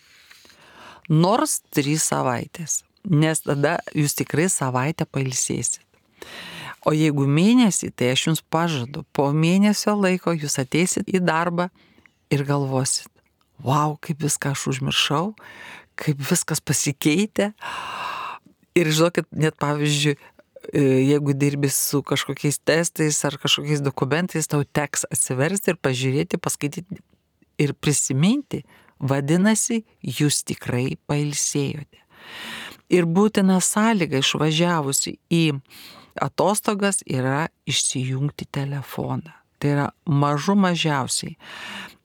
Nors trys savaitės. Nes tada jūs tikrai savaitę pailsėsit. O jeigu mėnesį, tai aš jums pažadu, po mėnesio laiko jūs ateisit į darbą ir galvosit, vau, kaip viską aš užmiršau, kaip viskas pasikeitė. Ir žinokit, net pavyzdžiui, jeigu dirbi su kažkokiais testais ar kažkokiais dokumentais, tau teks atsiversti ir pažiūrėti, paskaityti ir prisiminti, vadinasi, jūs tikrai pailsėjote. Ir būtina sąlyga išvažiavusi į atostogas yra išsijungti telefoną. Tai yra mažų mažiausiai.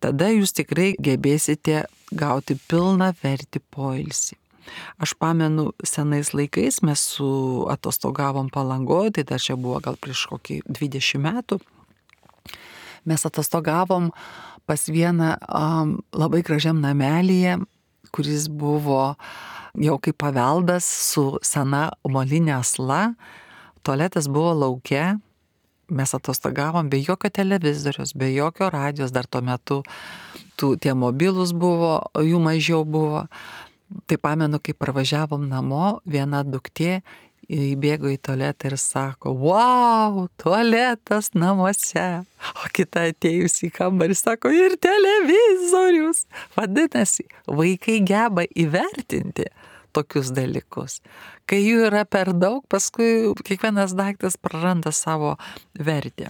Tada jūs tikrai gebėsite gauti pilną vertį poilsį. Aš pamenu, senais laikais mes su atostogavom Palangoje, tai dar čia buvo gal prieš kokį dvidešimt metų. Mes atostogavom pas vieną um, labai gražiam namelyje, kuris buvo jau kaip paveldas su sena molinė asla. Tualetas buvo lauke, mes atostogavom be jokio televizorius, be jokio radijos, dar tuo metu tų, tie mobilūs buvo, jų mažiau buvo. Tai pamenu, kai parvažiavom namo, viena duktė įbėgo į tualetą ir sako, wow, tualetas namuose. O kita atėjus į kambarį sako, ir televizorius. Vadinasi, vaikai geba įvertinti tokius dalykus. Kai jų yra per daug, paskui kiekvienas daiktas praranda savo vertę.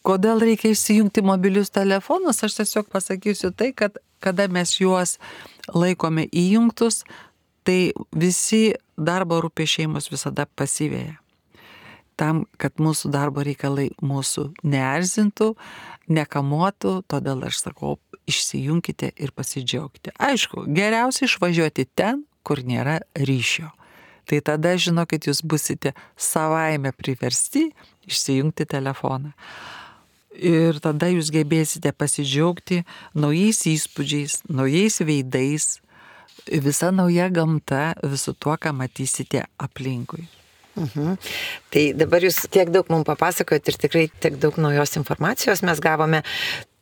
Kodėl reikia įsijungti mobilius telefonus? Aš tiesiog pasakysiu tai, kad kada mes juos laikome įjungtus, tai visi darbo rūpesčiai mus visada pasiveja. Tam, kad mūsų darbo reikalai mūsų neerzintų, nekamuotų, todėl aš sakau, išsijunkite ir pasidžiaugti. Aišku, geriausia išvažiuoti ten, kur nėra ryšio. Tai tada žinokit, jūs busite savaime priversti išsijungti telefoną. Ir tada jūs gebėsite pasidžiaugti naujais įspūdžiais, naujais veidais, visa nauja gamta, visu tuo, ką matysite aplinkui. Mhm. Tai dabar jūs tiek daug mums papasakojot ir tikrai tiek daug naujos informacijos mes gavome.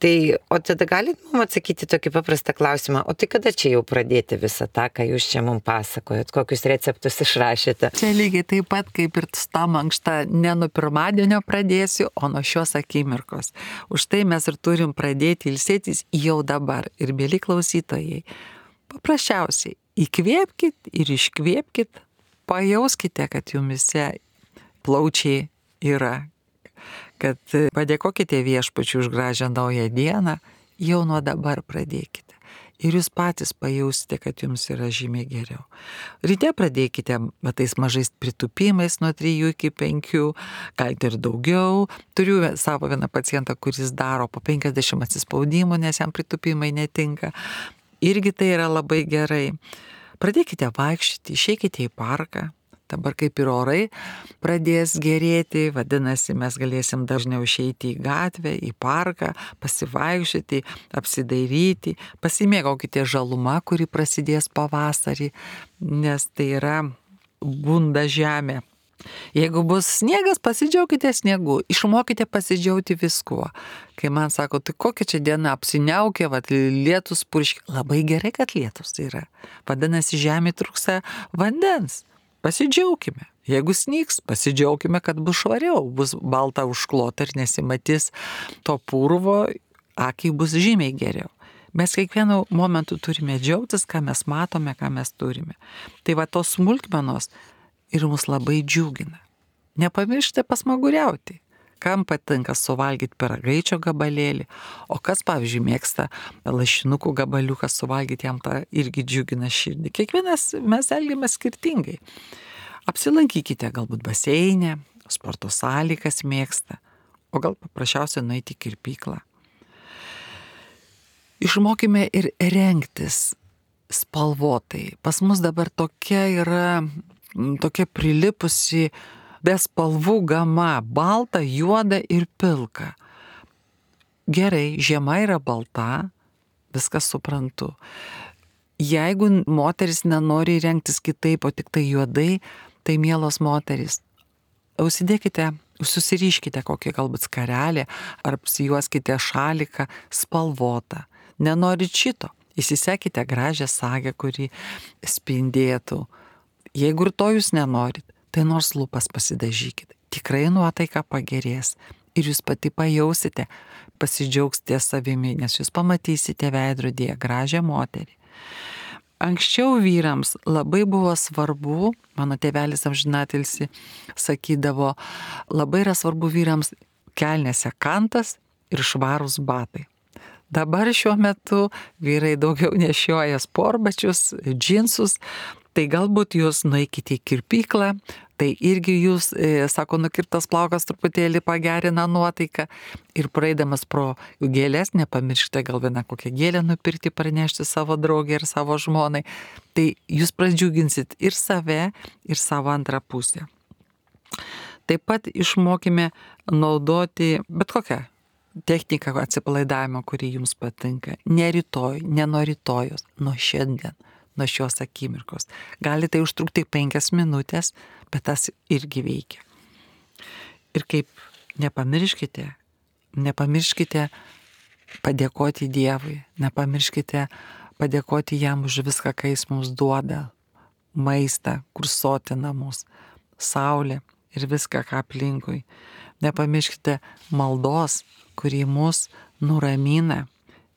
Tai, o tada galit mums atsakyti tokį paprastą klausimą, o tai kada čia jau pradėti visą tą, ką jūs čia mums pasakojot, kokius receptus išrašėte? Čia lygiai taip pat kaip ir tą mankštą ne nuo pirmadienio pradėsiu, o nuo šios akimirkos. Už tai mes ir turim pradėti ilsėtis jau dabar. Ir mėly klausytojai, paprasčiausiai įkvėpkit ir iškvėpkit, pajauskite, kad jumise plaučiai yra, kad padėkokite viešpačiui už gražią naują dieną, jau nuo dabar pradėkite. Ir jūs patys pajausite, kad jums yra žymiai geriau. Ryte pradėkite tais mažais pritupimais nuo trijų iki penkių, galite ir daugiau. Turiu savo vieną pacientą, kuris daro po penkiasdešimt atsispaudimų, nes jam pritupimai netinka. Irgi tai yra labai gerai. Pradėkite vaikščioti, išeikite į parką. Dabar kaip ir orai pradės gerėti, vadinasi, mes galėsim dažniau išeiti į gatvę, į parką, pasivaikščioti, apsidairyti, pasimėgaukite žaluma, kuri prasidės pavasarį, nes tai yra bunda žemė. Jeigu bus sniegas, pasidžiaukite sniegu, išmokite pasidžiaugti viskuo. Kai man sako, tai kokia čia diena apsiniaukė, vat, lietus purškia, labai gerai, kad lietus yra. Vadinasi, žemė trūksta vandens. Pasidžiaukime. Jeigu snygs, pasidžiaukime, kad bus švariau, bus balta užklota ir nesimatys to purvo, akiai bus žymiai geriau. Mes kiekvienu momentu turime džiaugtis, ką mes matome, ką mes turime. Tai va tos smulkmenos ir mus labai džiugina. Nepamirškite pasmaguriauti. Kam patinka suvalgyti pyragaičio gabalėlį, o kas, pavyzdžiui, mėgsta lašinukų gabaliuką suvalgyti, jam tą irgi džiugina širdį. Kiekvienas mes elgiamės skirtingai. Apsilankykite galbūt baseine, sporto salėje, kas mėgsta, o gal paprasčiausiai nueiti į kirpyklą. Išmokime ir rengtis spalvotai. Pas mus dabar tokia yra, tokia prilipusi be spalvų gama, balta, juoda ir pilka. Gerai, žiema yra balta, viskas suprantu. Jeigu moteris nenori rengtis kitaip, o tik tai juodai, tai mielos moteris, užsidėkite, susiriškite kokį galbūt skarelį, ar apsijuoskite šaliką spalvotą. Nenorit šito, įsisekite gražią sagę, kuri spindėtų. Jeigu ir to jūs nenorit, tai nors lūpas pasidažykit. Tikrai nuotaika pagerės ir jūs pati pajausite, pasidžiaugsite savimi, nes jūs pamatysite veidrodyje gražią moterį. Anksčiau vyrams labai buvo svarbu, mano tėvelis amžinatilsi sakydavo, labai yra svarbu vyrams kelnėse kantas ir švarūs batai. Dabar šiuo metu vyrai daugiau nešioja sportbačius, džinsus, tai galbūt jūs nueikite į kirpyklą, tai irgi jūs, e, sako, nukirptas plaukas truputėlį pagerina nuotaiką ir praeidamas pro gėlės, nepamirškite gal vieną kokią gėlę nupirkti, pranešti savo draugę ir savo žmonai, tai jūs pradžiuginsit ir save, ir savo antrą pusę. Taip pat išmokime naudoti bet kokią techniką atsipalaidavimo, kuri jums patinka. Ne rytoj, ne nuo rytojos, nuo šiandien. Nuo šios akimirkos. Gali tai užtrukti penkias minutės, bet tas irgi veikia. Ir kaip nepamirškite, nepamirškite padėkoti Dievui, nepamirškite padėkoti jam už viską, ką jis mums duoda, maistą, kur sotina mus, saulė ir viską, ką aplinkui. Nepamirškite maldos, kuri mus nuramina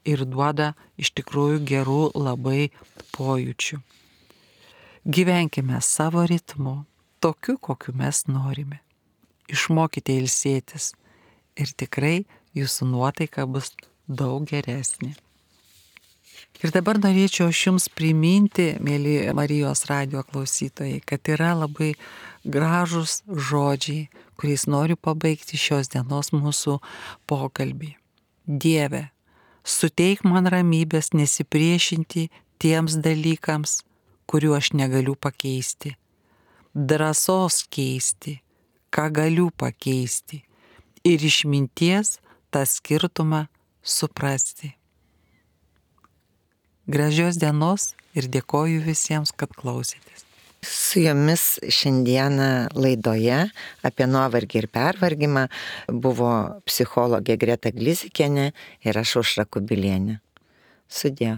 ir duoda iš tikrųjų gerų labai pojūčių. Gyvenkime savo ritmu, tokiu, kokiu mes norime. Išmokite ilsėtis ir tikrai jūsų nuotaika bus daug geresnė. Ir dabar norėčiau aš jums priminti, mėly Marijos radijo klausytojai, kad yra labai gražūs žodžiai, kuriais noriu pabaigti šios dienos mūsų pokalbį. Dieve, suteik man ramybės nesipriešinti tiems dalykams, kurių aš negaliu pakeisti. Drąsos keisti, ką galiu pakeisti. Ir išminties tą skirtumą suprasti. Gražios dienos ir dėkoju visiems, kad klausėtės. Su jumis šiandieną laidoje apie nuovargį ir pervargimą buvo psichologė Greta Glizikienė ir aš Aušra Kubilienė. Sudie.